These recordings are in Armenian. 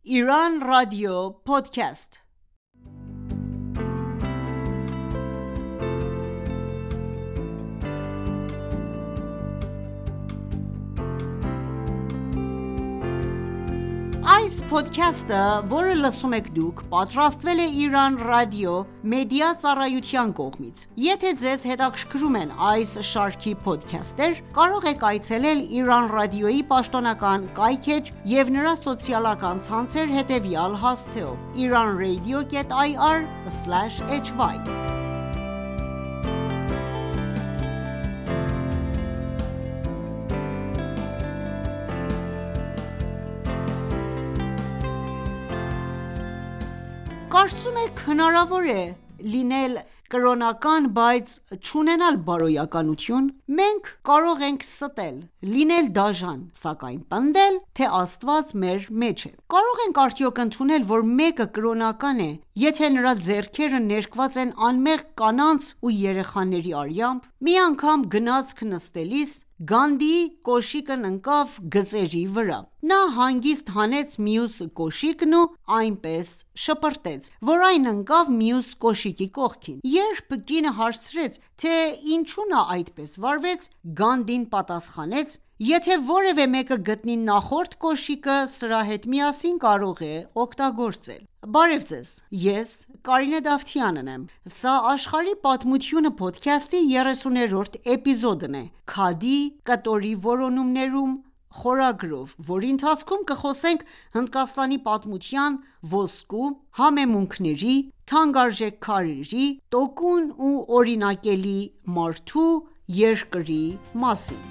Iran Radio Podcast Այս podcast-ը, որը լսում եք դուք, պատրաստվել է Iran Radio մեդիա ծառայության կողմից։ Եթե ձեզ հետաքրքրում են այս շարքի podcast-եր, կարող եք այցելել Iran Radio-ի պաշտոնական կայքէջ և նրա սոցիալական ցանցեր հետևյալ հասցեով՝ iranradio.ir/hy Կարծում եք հնարավոր է լինել կրոնական, բայց չունենալ բարոյականություն: Մենք կարող ենք ստել, լինել դաժան, սակայն պնդել, թե Աստված մեր մեջ է: Կարող ենք արդյոք ընդունել, որ մեկը կրոնական է, եթե նրա ձեռքերը ներկված են անմեղ կանանց ու երեխաների արյամբ: Մի անգամ գնացք նստելիս, Գանդիի կոշիկն ընկավ գծերի վրա: Նա հանգիստ հանեց մյուս կոշիկն ու այնպես շպրտեց, որ այն ընկավ մյուս կոշիկի կողքին: Երբ կինը հարցրեց, թե ինչու նա այդպես վարվեց, Գանդին պատասխանեց. «Եթե որևէ մեկը գտնի նախորդ կոշիկը, սրա հետ միասին կարող է օգտագործել»: Բարև ձեզ, ես Կարինե Դավթյանն եմ: Սա «Աշխարհի պատմությունը» փոդքասթի 30-րդ էպիզոդն է՝ «Քադի կտորի որոնումներում» խորագրով, որի ընթացքում կխոսենք Հնդկաստանի պատմության ոսկու, համեմունքների, թանկարժեք քարերի, տոկուն ու օրինակելի մարդու երկրի մասին: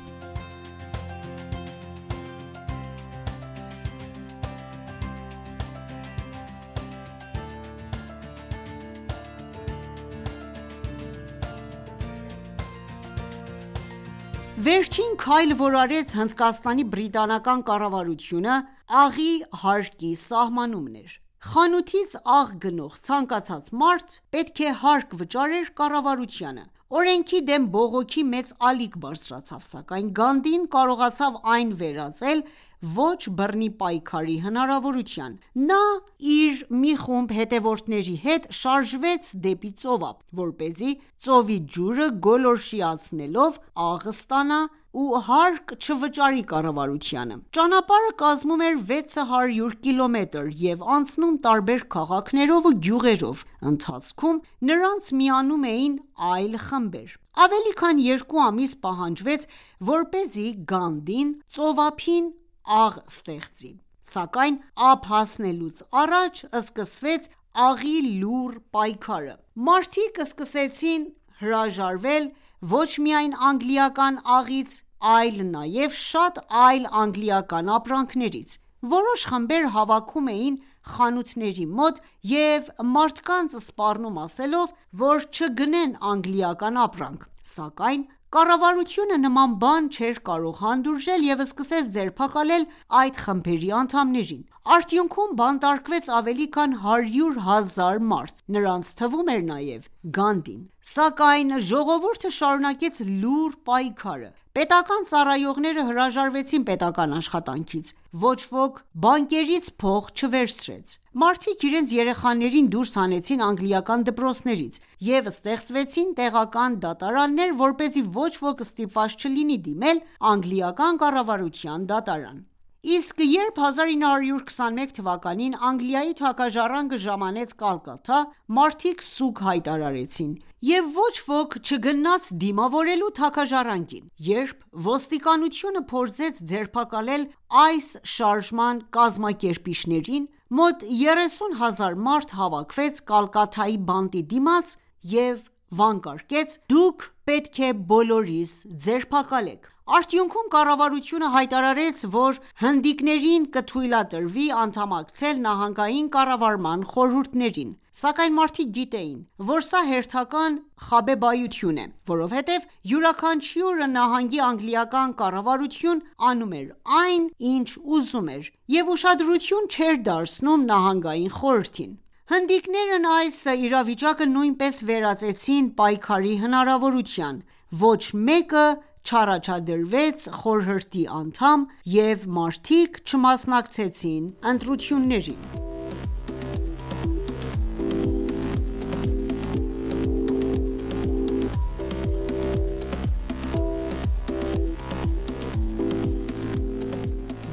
Վերջին քայլը, որ արեց Հնդկաստանի բրիտանական կառավարությունը, աղի հարկի սահմանումն էր: Խանութից աղ գնող ցանկացած մարդ պետք է հարկ վճարեր կառավարությանը: Օրենքի դեմ բողոքի մեծ ալիք բարձրացավ, սակայն Գանդին կարողացավ այն վերածել ոչ բռնի պայքարի հնարավորության: Նա իր մի խումբ հետևորդների հետ շարժվեց դեպի ծովափ, որպեսզի ծովի ջուրը գոլորշիացնելով աղ ստանա ու հարկ չվճարի կառավարությանը: Ճանապարհը կազմում էր 600 կիլոմետր և անցնում տարբեր քաղաքներով ու գյուղերով: Ընթացքում նրանց միանում էին այլ խմբեր: Ավելի քան 2 ամիս պահանջվեց, որպեսզի Գանդին ծովափին աղ ստեղծի: Սակայն ափ հասնելուց առաջ սկսվեց աղի լուռ պայքարը: Մարդիկ սկսեցին հրաժարվել ոչ միայն անգլիական աղից, այլ նաև շատ այլ անգլիական ապրանքներից: Որոշ խմբեր հավաքում էին խանութների մոտ և մարդկանց սպառնում ասելով, որ չգնեն անգլիական ապրանք: Սակայն կառավարությունը նման բան չէր կարող հանդուրժել և սկսեց ձերբակալել այդ խմբերի անդամներին: Արդյունքում բանտարկվեց ավելի քան 100,000 մարդ: Նրանց թվում էր նաև Գանդին: Սակայն ժողովուրդը շարունակեց լուռ պայքարը: Պետական ծառայողները հրաժարվեցին պետական աշխատանքից: Ոչ ոք բանկերից փող չվերցրեց: Մարդիկ իրենց երեխաներին դուրս հանեցին անգլիական դպրոցներից և ստեղծվեցին տեղական դատարաններ, որպեսզի ոչ ոք ստիպված չլինի դիմել անգլիական կառավարության դատարան: Իսկ երբ 1921 թվականին Անգլիայի թագաժառանգը ժամանեց Կալկաթա, մարդիկ սուգ հայտարարեցին և ոչ ոք չգնաց դիմավորելու թագաժառանգին: Երբ ոստիկանությունը փորձեց ձերբակալել այս շարժման կազմակերպիչներին, մոտ 30,000 մարդ հավաքվեց Կալկաթայի բանտի դիմաց և վանկարկեց. «Դուք պետք է բոլորիս ձերբակալեք»: Արդյունքում կառավարությունը հայտարարեց, որ հնդիկներին կթույլատրվի անդամակցել նահանգային կառավարման խորհուրդներին: Սակայն մարդիկ գիտեին, որ սա հերթական խաբեբայություն է, որովհետև յուրաքանչյուրը նահանգի անգլիական կառավարություն անում էր այն, ինչ ուզում էր և ուշադրություն չէր դարձնում նահանգային խորհրդին: Հնդիկներն այս իրավիճակը նույնպես վերածեցին պայքարի հնարավորության: Ոչ մեկը չառաջադրվեց խորհրդի անդամ, և մարդիկ չմասնակցեցին ընտրություններին։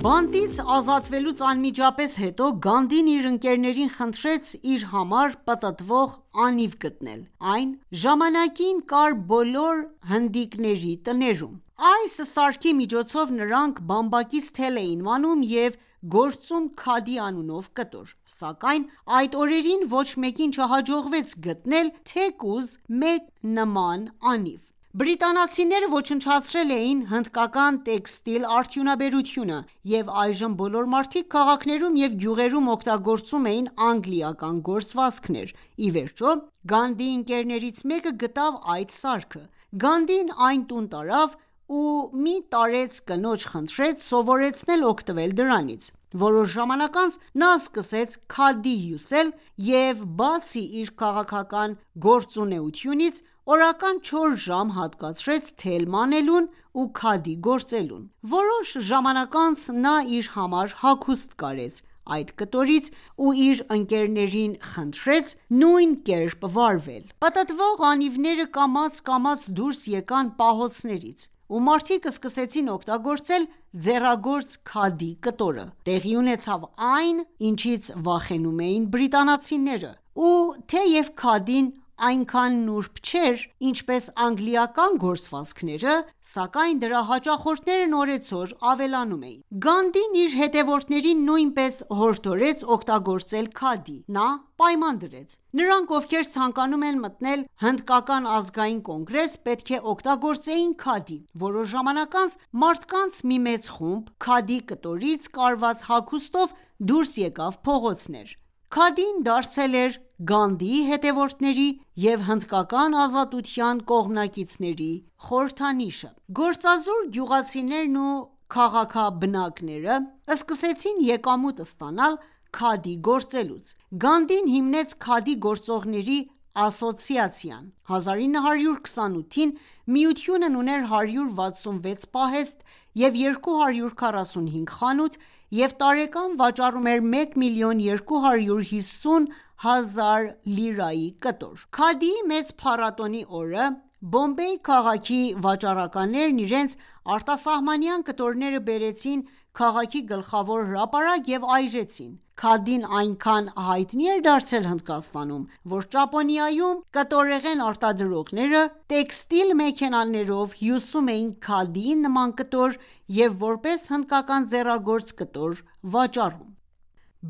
Բանտից ազատվելուց անմիջապես հետո Գանդին իր ընկերներին խնդրեց իր համար պտտվող անիվ գտնել: Այն ժամանակին կար բոլոր հնդիկների տներում: Այս սարքի միջոցով նրանք բամբակից թել էին մանում և գործում քադի անունով կտոր: Սակայն այդ օրերին ոչ մեկին չհաջողվեց գտնել թեկուզ մեկ նման անիվ: Բրիտանացիները ոչնչացրել էին հնդկական տեքստիլ արդյունաբերությունը, և այժմ բոլոր մարդիկ քաղաքներում և գյուղերում օգտագործում էին անգլիական գործվածքներ: Ի վերջո, Գանդիի ընկերներից մեկը գտավ այդ սարքը: Գանդին այն տուն տարավ ու մի տարեց կնոջ խնդրեց սովորեցնել օգտվել դրանից: Որոշ ժամանակ անց նա սկսեց քադի հյուսել և բացի իր քաղաքական գործունեությունից, օրական 4 ժամ հատկացրեց թել մանելուն ու քադի գործելուն: Որոշ ժամանակ անց նա իր համար հագուստ կարեց այդ կտորից ու իր ընկերներին խնդրեց նույն կերպ վարվել: Պտտվող անիվները կամաց դուրս եկան պահոցներից ու մարդիկ սկսեցին օգտագործել ձեռագործ քադի կտորը: Տեղի ունեցավ այն, ինչից վախենում էին բրիտանացիները: Ու թեև քադին այնքան նուրբ չէր, ինչպես անգլիական գործվածքները, սակայն դրա հաճախորդներն օրեցօր ավելանում էին: Գանդին իր հետևորդներին նույնպես հորդորեց օգտագործել քադի: Նա պայման դրեց. նրանք, ովքեր ցանկանում են մտնել հնդկական ազգային կոնգրես, պետք է օգտագործեին քադի: Որոշ ժամանակ անց մարդկանց մի մեծ խումբ քադի կտորից կարված հագուստով դուրս եկավ փողոցներ: Քադին դարձել էր Գանդիի հետևորդների և հնդկական ազատության կողմնակիցների խորհրդանիշը: Գործազուրկ գյուղացիներն ու քաղաքաբնակները սկսեցին եկամուտ ստանալ քադի գործելուց: Գանդին հիմնեց քադի գործողների ասոցիացիան: 1928թ. միությունն ուներ 166 պահեստ և 245 խանութ և տարեկան վաճառում էր 1,250,000 լիրայի կտոր: Քադիի մեծ փառատոնի օրը Բոմբեյ քաղաքի վաճառականներն իրենց արտասահմանյան կտորները բերեցին քաղաքի գլխավոր հրապարակ և այրեցին: Քադին այնքան հայտնի էր դարձել Հնդկաստանում, որ Ճապոնիայում կտորեղեն արտադրողները տեքստիլ մեքենաներով հյուսում էին քադիի նման կտոր և որպես հնդկական ձեռագործ կտոր վաճառում: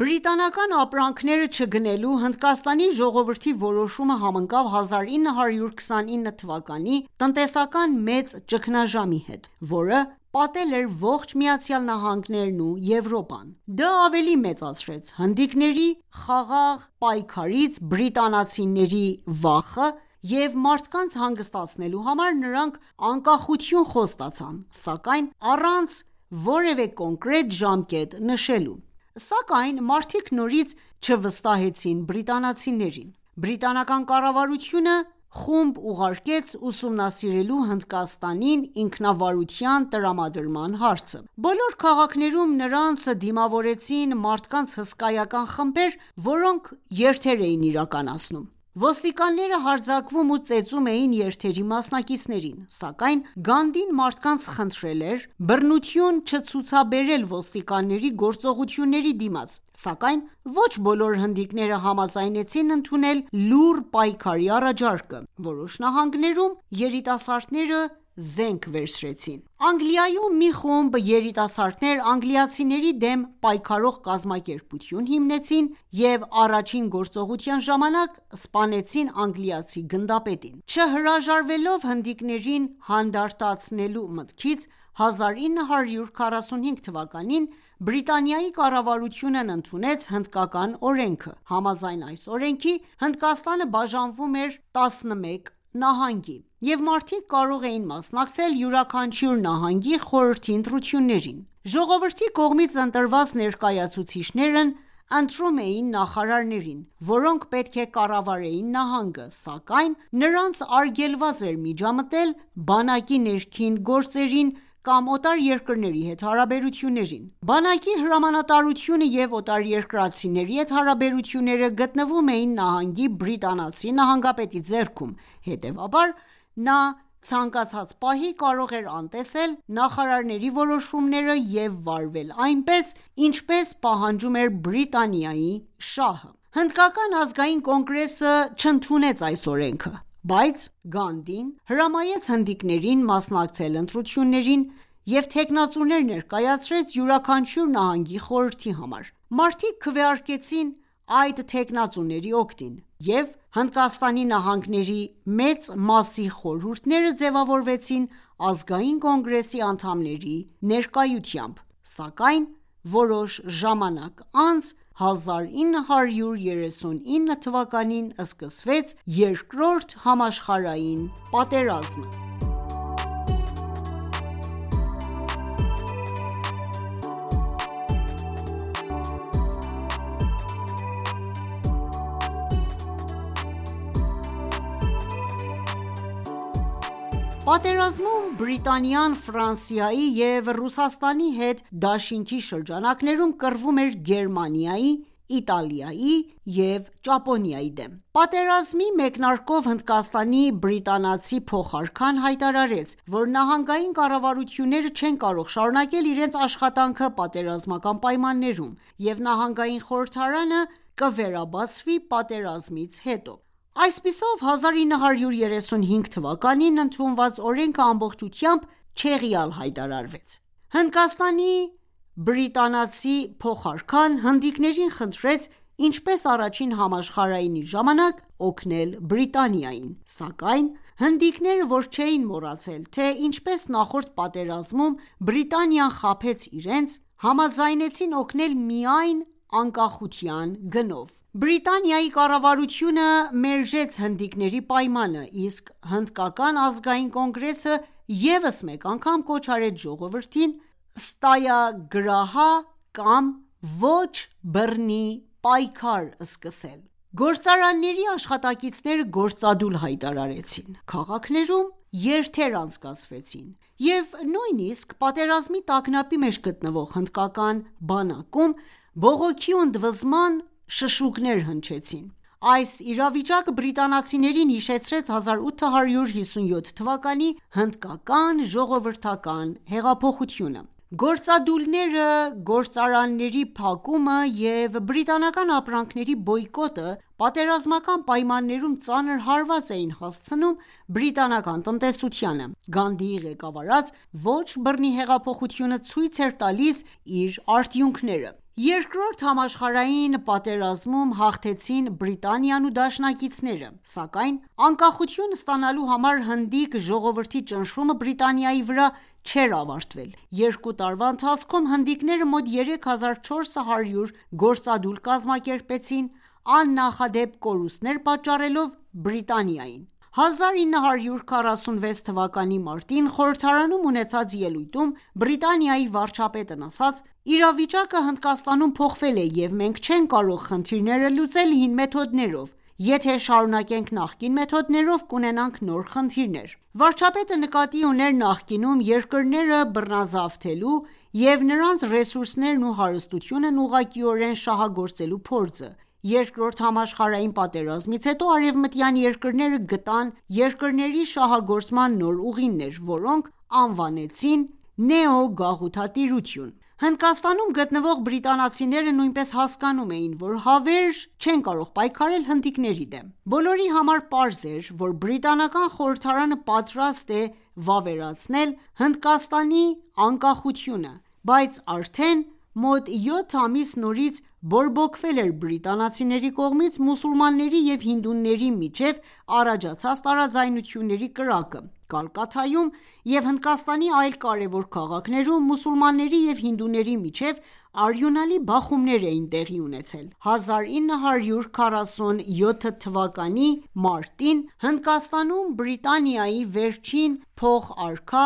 Բրիտանական ապրանքները չգնելու Հնդկաստանի ժողովրդի որոշումը համընկավ 1929 թվականի տնտեսական մեծ ճգնաժամի հետ, որը պատել էր ողջ ԱՄՆ-ն ու Եվրոպան: Դա ավելի մեծացրեց հնդիկների խաղաղ պայքարից բրիտանացիների վախը և մարդկանց հանգստացնելու համար նրանք անկախություն խոստացան, սակայն առանց որևէ կոնկրետ ժամկետ նշելու: Սակայն մարդիկ նորից չվստահեցին բրիտանացիներին: Բրիտանական կառավարությունը խումբ ուղարկեց ուսումնասիրելու Հնդկաստանին ինքնավարության տրամադրման հարցը: Բոլոր քաղաքներում նրանց դիմավորեցին մարդկանց հսկայական խմբեր, որոնք երթեր էին իրականացնում: Ոստիկանները հարձակվում ու ծեծում էին երթերի մասնակիցներին: Սակայն Գանդին մարդկանց խնդրել էր բռնություն չցուցաբերել ոստիկանների գործողությունների դիմաց: Սակայն ոչ բոլոր հնդիկները համաձայնեցին ընդունել լուռ պայքարի առաջարկը: Որոշ նահանգներում երիտասարդները զենք վերցրեցին: Անգլիայում մի խումբ երիտասարդներ անգլիացիների դեմ պայքարող կազմակերպություն հիմնեցին և առաջին գործողության ժամանակ սպանեցին անգլիացի գնդապետին: Չհրաժարվելով հնդիկներին հանդարտացնելու մտքից, 1945 թվականին Բրիտանիայի կառավարությունն ընդունեց հնդկական օրենքը: Համաձայն այս օրենքի Հնդկաստանը բաժանվում էր 11 նահանգի և մարդիկ կարող էին մասնակցել յուրաքանչյուր նահանգի խորհրդի ընտրություններին: Ժողովրդի կողմից ընտրված ներկայացուցիչներն ընտրում էին նախարարներին, որոնք պետք է կառավարեին նահանգը, սակայն նրանց արգելված էր միջամտել բանակի ներքին գործերին կամ օտարերկրների հետ հարաբերություններին։ Բանակի հրամանատարությունը և օտարերկրացիների հետ հարաբերությունները գտնվում էին նահանգի բրիտանացի նահանգապետի ձեռքում, հետևաբար նա ցանկացած պահի կարող էր անտեսել նախարարների որոշումները և վարվել այնպես, ինչպես պահանջում էր Բրիտանիայի շահը։ Հնդկական ազգային կոնգրեսը չընդունեց այս օրենքը, բայց Գանդին հրամայեց հնդիկներին մասնակցել ընտրություններին և թեկնածուներ ներկայացրեց յուրաքանչյուր նահանգի խորհրդի համար։ Մարդիկ քվեարկեցին այդ թեկնածուների օգտին, և Հնդկաստանի նահանգների մեծ մասի խորհուրդները ձևավորվեցին ազգային կոնգրեսի անդամների ներկայությամբ, սակայն որոշ ժամանակ անց 1939 թվականին սկսվեց Երկրորդ համաշխարհային պատերազմը։ Պատերազմում Բրիտանիան Ֆրանսիայի և Ռուսաստանի հետ դաշինքի շրջանակներում կռվում էր Գերմանիայի, Իտալիայի և Ճապոնիայի դեմ։ Պատերազմի մեկնարկով Հնդկաստանի բրիտանացի փոխարքան հայտարարեց, որ նահանգային կառավարությունները չեն կարող շարունակել իրենց աշխատանքը պատերազմական պայմաններում, և նահանգային խորհրդարանը կվերաբացվի պատերազմից հետո։ Այսպիսով 1935 թվականին ընդունված օրենքը ամբողջությամբ չեղյալ հայտարարվեց։ Հնդկաստանի բրիտանացի փոխարքան հնդիկներին խնդրեց ինչպես առաջին համաշխարհայինի ժամանակ օգնել Բրիտանիային, սակայն հնդիկները, որ չէին մոռացել, թե ինչպես նախորդ պատերազմում Բրիտանիան խաբեց իրենց, համաձայնեցին օգնել միայն անկախության գնով։ Բրիտանիայի կառավարությունը մերժեց հնդիկների պայմանը, իսկ Հնդկական ազգային կոնգրեսը ևս մեկ անգամ կոչ արեց ժողովրդին ստայագրահա կամ ոչ բռնի պայքար սկսել։ Գործարանների աշխատակիցները գործադուլ հայտարարեցին, քաղաքներում երթեր անցկացվեցին, և նույնիսկ պատերազմի տագնապի մեջ գտնվող հնդկական բանակում բողոքի ու ընդվզման շշուկներ հնչեցին։ Այս իրավիճակը բրիտանացիներին հիշեցրեց 1857 թվականի հնդկական ժողովրդական հեղափոխությունը։ Գործադուլները, գործարանների փակումը և բրիտանական ապրանքների բոյկոտը պատերազմական պայմաններում ծանր հարված էին հասցնում բրիտանական տնտեսությանը։ Գանդիի ղեկավարած ոչ բռնի հեղափոխությունը ցույց էր տալիս իր արդյունքները։ Երկրորդ համաշխարհային պատերազմում հաղթեցին Բրիտանիան ու դաշնակիցները, սակայն անկախություն ստանալու համար հնդիկ ժողովրդի ճնշումը Բրիտանիայի վրա չէր ավարտվել։ Երկու տարվա ընթացքում հնդիկները մոտ 3400 գործադուլ կազմակերպեցին՝ աննախադեպ կորուստներ պատճառելով Բրիտանիային։ 1946 թվականի մարտին խորհրդարանում ունեցած ելույթում Բրիտանիայի վարչապետն ասաց.«Իրավիճակը Հնդկաստանում փոխվել է և մենք չենք կարող խնդիրները լուծել հին մեթոդներով։ Եթե շարունակենք նախկին մեթոդներով, կունենանք նոր խնդիրներ»։ Վարչապետը նկատի ուներ նախկինում երկրները բռնազավթելու և նրանց ռեսուրսներն ու հարստությունն ուղղակիորեն շահագործելու փորձը։ Երկրորդ համաշխարհային պատերազմից հետո արևմտյան երկրները գտան երկրների շահագործման նոր ուղիներ, որոնք անվանեցին նեոգաղութատիրություն։ Հնդկաստանում գտնվող բրիտանացիները նույնպես հասկանում էին, որ հավերժ չեն կարող պայքարել հնդիկների դեմ։ Բոլորի համար պարզ էր, որ բրիտանական խորհրդարանը պատրաստ է վավերացնել Հնդկաստանի անկախությունը, բայց արդեն մոտ 7 ամիս նորից բորբոքվել էր բրիտանացիների կողմից մուսուլմանների և հինդուների միջև առաջացած տարաձայնությունների կրակը։ Կալկաթայում և Հնդկաստանի այլ կարևոր քաղաքներում մուսուլմանների և հինդուների միջև արյունալի բախումներ էին տեղի ունեցել։ 1947 թվականի մարտին Հնդկաստանում Բրիտանիայի վերջին փոխարքա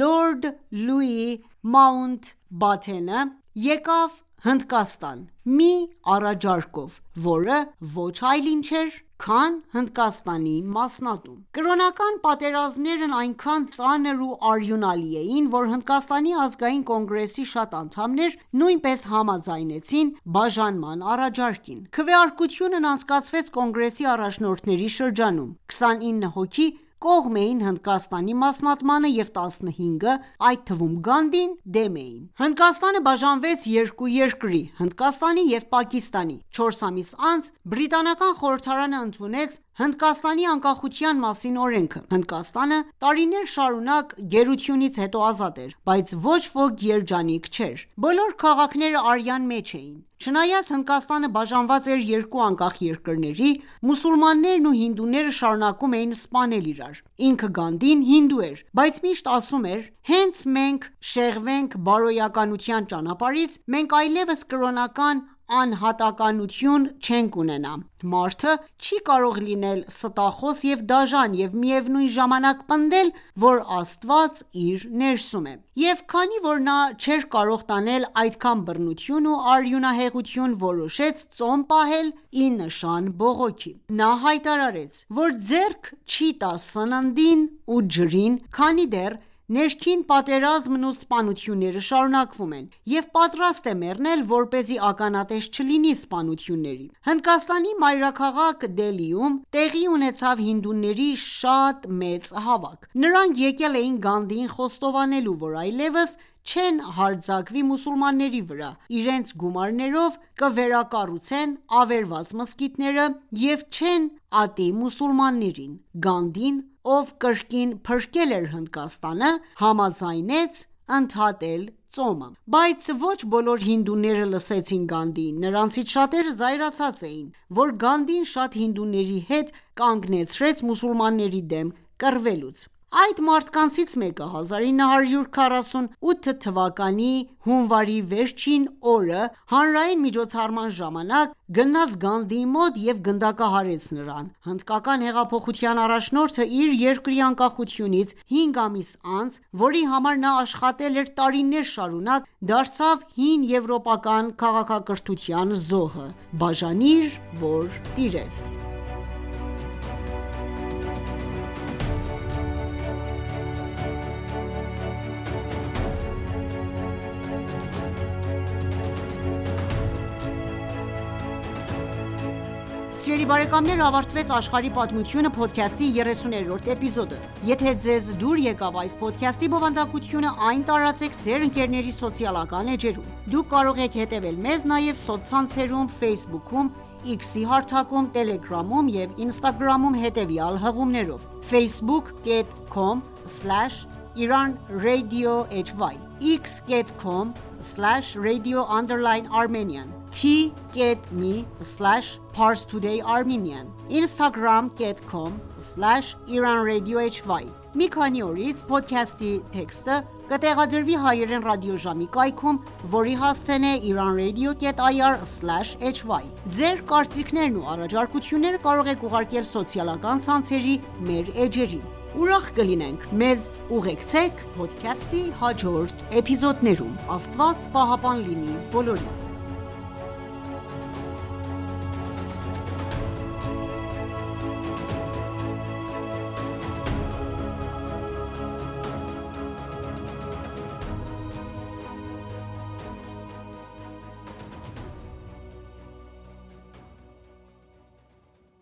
լորդ Լուի Მაունտբաթենը եկավ Հնդկաստան մի առաջարկով, որը ոչ այլ ինչ էր, քան Հնդկաստանի մասնատում: Կրոնական պատերազմներն այնքան ծանր ու արյունալի էին, որ Հնդկաստանի ազգային կոնգրեսի շատ անդամներ նույնպես համաձայնեցին բաժանման առաջարկին: Քվեարկությունն անցկացվեց կոնգրեսի առաջնորդների շրջանում: 29 հոգի կողմ էին Հնդկաստանի մասնատմանը և 15-ը, այդ թվում Գանդին, դեմ էին: Հնդկաստանը բաժանվեց երկու երկրի՝ Հնդկաստանի և Պակիստանի: 4 ամիս անց բրիտանական խորհրդարանը ընդունեց Հնդկաստանի անկախության մասին օրենքը: Հնդկաստանը տարիներ շարունակ գերությունից հետո ազատ էր, բայց ոչ ոք երջանիկ չէր: Բոլոր քաղաքները արյան մեջ էին: Չնայած Հնդկաստանը բաժանված էր երկու անկախ երկրների, մուսուլմաններն ու հինդուները շարունակում էին սպանել իրար: Ինքը Գանդին հինդու էր, բայց միշտ ասում էր. «Հենց մենք շեղվենք բարոյականության ճանապարհից, մենք այլևս կրոնական անհատականություն չենք ունենա: Մարդը չի կարող լինել ստախոս և դաժան և միևնույն ժամանակ պնդել, որ Աստված իր ներսում է»: Եվ քանի որ նա չէր կարող տանել այդքան բռնություն ու արյունահեղություն, որոշեց ծոմ պահել ի նշան բողոքի: Նա հայտարարեց, որ ձեռք չի տա սննդին ու ջրին, քանի դեռ ներքին պատերազմն ու սպանությունները շարունակվում են, և պատրաստ է մեռնել, որպեսզի ականատես չլինի սպանությունների: Հնդկաստանի մայրաքաղաք Դելիում տեղի ունեցավ հինդուների շատ մեծ հավաք: Նրանք եկել էին Գանդիին խոստովանելու, որ այլևս չեն հարձակվի մուսուլմանների վրա, իրենց գումարներով կվերակառուցեն ավերված մզկիթները և չեն ատի մուսուլմաններին: Գանդին, ով կրկին փրկել էր Հնդկաստանը, համաձայնեց ընդհատել ծոմը: Բայց ոչ բոլոր հինդուները լսեցին Գանդիին: Նրանցից շատերը զայրացած էին, որ Գանդին շատ հինդուների հետ կանգնեցրեց մուսուլմանների դեմ կռվելուց: Այդ մարդկանցից մեկը 1948 թվականի հունվարի վերջին օրը հանրային միջոցառման ժամանակ գնաց Գանդիի մոտ և գնդակահարեց նրան: Հնդկական հեղափոխության առաջնորդը իր երկրի անկախությունից 5 ամիս անց, որի համար նա աշխատել էր տարիներ շարունակ, դարձավ հին եվրոպական քաղաքակրթության զոհը: Բաժանիր, որ տիրես: Սիրելի բարեկամներ ավարտվեց «Աշխարհի պատմությունը» փոդքասթի 30-րդ էպիզոդը: Եթե ձեզ դուր եկավ այս փոդքասթի բովանդակությունը, այն տարածեք ձեր ընկերների սոցիալական էջերում: Դուք կարող եք հետևել մեզ նաև սոցցանցերում Facebook-ում, X-ի հարթակում, Telegram-ում և Instagram-ում հետևյալ հղումներով՝ facebook.com/IranRadioHy x.com/radio_Armenian t.me/ParsTodayArmenian instagram.com/IranRadioHy Մի քանի օրից փոդքասթի տեքստը կտեղադրվի հայերեն ռադիոժամի կայքում, որի հասցեն է iranradio.ir/hy: Ձեր կարծիքներն ու առաջարկությունները կարող եք ուղարկել սոցիալական ցանցերի մեր էջերին: Ուրախ կլինենք մեզ ուղեկցեք փոդքասթի հաջորդ էպիզոդներում: Աստված պահապան լինի բոլորին: